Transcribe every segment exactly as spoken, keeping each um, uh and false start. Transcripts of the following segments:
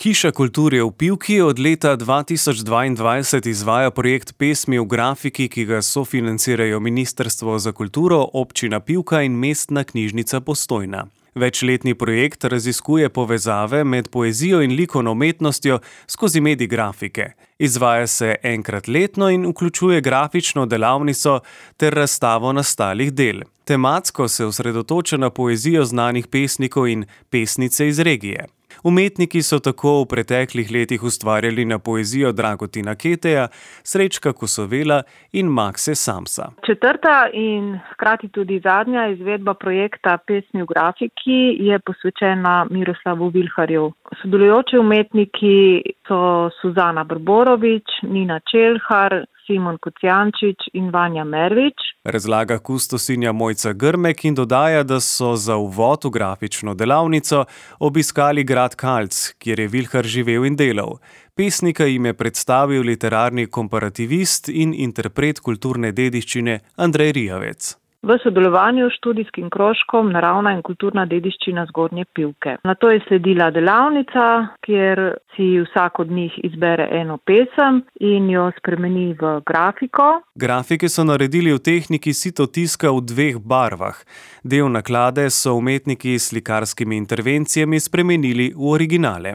Hiša kulture v Pivki od leta dva tisoč dvaindvajset izvaja projekt Pesmi v grafiki, ki ga sofinancirajo Ministrstvo za kulturo, Občina Pivka in Mestna knjižnica Postojna. Večletni projekt raziskuje povezave med poezijo in likovno umetnostjo skozi medij grafike. Izvaja se enkrat letno in vključuje grafično delavnico ter razstavo nastalih del. Tematsko se osredotoča na poezijo znanih pesnikov in pesnice iz regije. Umetniki so tako v preteklih letih ustvarjali na poezijo Dragutina Keteja, Srečka Kosovela in Makse Samsa. Četrta in hkrati tudi zadnja izvedba projekta Pesmi v grafiki je posvečena Miroslavu Vilharju. Sodelujoči umetniki so Suzana Brborović, Nina Čelhar, Simon Kocijančič in Vanja Mervič. Razlaga kustosinja Mojca Grmek in dodaja, da so za uvod v grafično delavnico obiskali grad Kalc, kjer je Vilhar živel in delal. Pesnika jim je predstavil literarni komparativist in interpret kulturne dediščine Andrej Rijavec. V sodelovanju s študijskim krožkom Naravna in kulturna dediščina Zgornje Pivke. Nato je sledila delavnica, kjer si vsak od njih izbere eno pesem in jo spremeni v grafiko. Grafike so naredili v tehniki sitotiska v dveh barvah. Del naklade so umetniki s slikarskimi intervencijami spremenili v originale.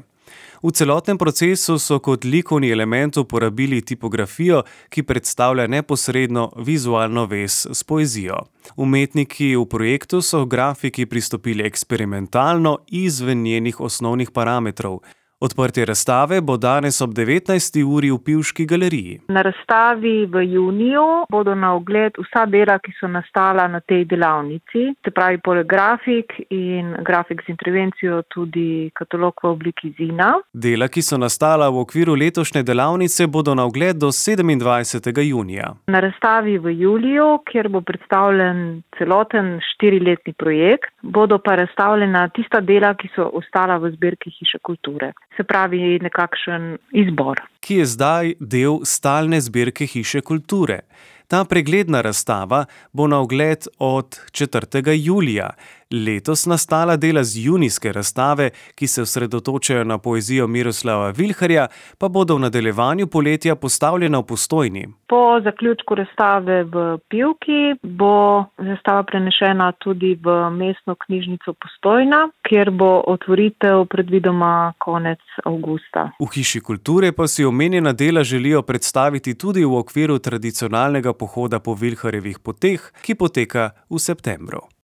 V celotnem procesu so kot likovni element uporabili tipografijo, ki predstavlja neposredno vizualno vez s poezijo. Umetniki v projektu so v grafiki pristopili eksperimentalno izven njenih osnovnih parametrov. Odprtje razstave bo danes ob devetnajsti uri v Pivški galeriji. Na razstavi v juniju bodo na ogled vsa dela, ki so nastala na tej delavnici. Se pravi, poleg grafik in grafik z intervencijo tudi katalog v obliki zina. Dela, ki so nastala v okviru letošnje delavnice, bodo na ogled do sedemindvajsetega junija. Na razstavi v juliju, kjer bo predstavljen celoten štiriletni projekt, bodo pa razstavljena tista dela, ki so ostala v zbirki Hiše kulture. Se pravi, nekakšen izbor. Ki je zdaj del stalne zbirke Hiše kulture. Ta pregledna razstava bo na ogled od četrtega julija. Letos nastala dela z junijske razstave, ki se osredotočajo na poezijo Miroslava Vilharja, pa bodo v nadaljevanju poletja postavljena v Postojni. Po zaključku razstave v Pivki bo razstava prenešena tudi v Mestno knjižnico Postojna, kjer bo otvoritev predvidoma konec avgusta. V Hiši kulture pa si omenjena dela želijo predstaviti tudi v okviru tradicionalnega pohoda po Vilharjevih poteh, ki poteka v septembru.